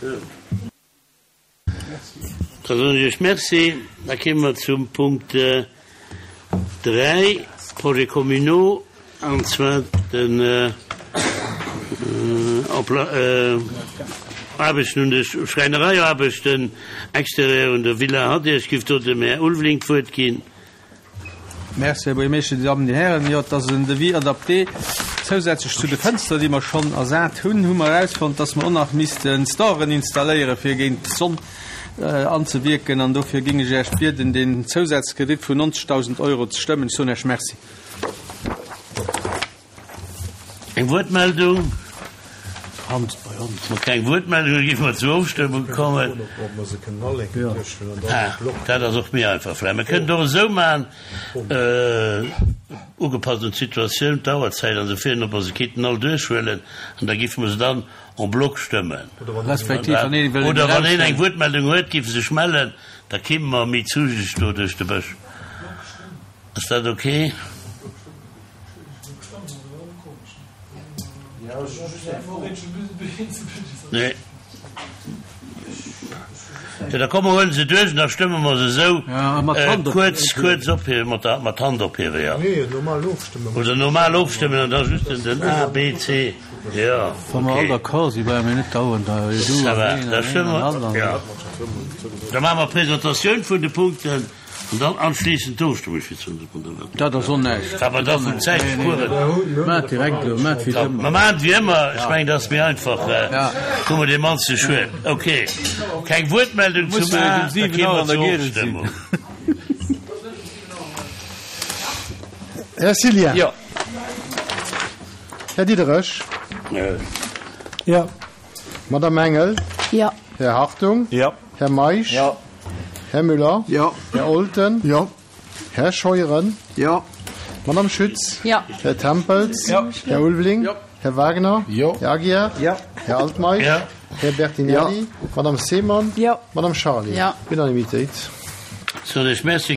Da soen ech Iech Merci. Da kéime mer zum Punkt 3, Projets communaux, an zwar den Aarbechten un de Schräinereiaarbechten extérieur un der Villa Hadir. Ech géif do dem Här Ulveling d'Wuert ginn. Merci, Här Buergermeeschter, Dir Dammen, Dir Hären. Jo, et ass en Devis adapté. Zousätzlech zu de Fënster, déi mer schonn ersat hunn, hu mer erausfonnt, dass mer och nach misste Storen installéieren, fir géint d'Sonn anzewierken. An dofir géing ech Iech bieden, deen Zousazkredit vun 90.000 Euro ze stëmmen. Ech soen Iech Merci. Eng Wuertmeldung? Wa keng Wuertmeldung ass, géife mer zur Ofstëmmung kommen. Ah, dat ass och méi einfach vläicht. Mer kënnen et och esou maachen, ugepasst un d'Situatioun, d'Auerzäit an esou virun, ob mer se kéinten all duerchhuelen an da géife mer se dann en bloc stëmmen. Oder wann een eng Wuertmeldung huet, géif e sech mellen, da kéime mer méi zügeg do duerch de Bësch. Ass dat ok? Nee. Jo, da komm mer huelen se duerch an da stëmme mer se esou kuerz, kuerz ophiewen, mat der, mat Hand ophiewen, jo. Oder normal ofstëmmen an da just den, den A, B, C, jo, Wa mer all okay. d'accord sinn, brauche mir net dauernd da Ça va, da stëmme mer, jo. Da maache mer d'Presentatioun vun de Punkten. An dann anschliessend d'Ofstëmmung fir d'Sonndesbonderwelt. Dat ass och näischt. Wat mer da vun Zäit spueren. Maacht direkt elo, maacht wéi ëmmer. Mer maachen et wéi ëmmer. Ech mengen, dat ass méi einfach. Hu mer dee mannste Schued. Ok. Keng Wuertmeldung zum A. Da gi mer zur Ofstëmmung. Här Cillien. Jo. Här Diderich. Jo. Madame Engel. Jo. Här Hartung. Jo. Här Meisch. Jo. Här Müller. Jo. Här Olten. Jo. Här Scheuren. Jo. Madame Schütz. Jo. Här Tempels. Jo. Här Ulveling. Jo. Här Wagner. Jo. Här Aguiar. Jo. Här Altmeisch. Jo. Här Bertinelli. Jo. Madame Seemann. Jo. Madame Charlé. Jo. Unanimitéit. Soen ech Merci.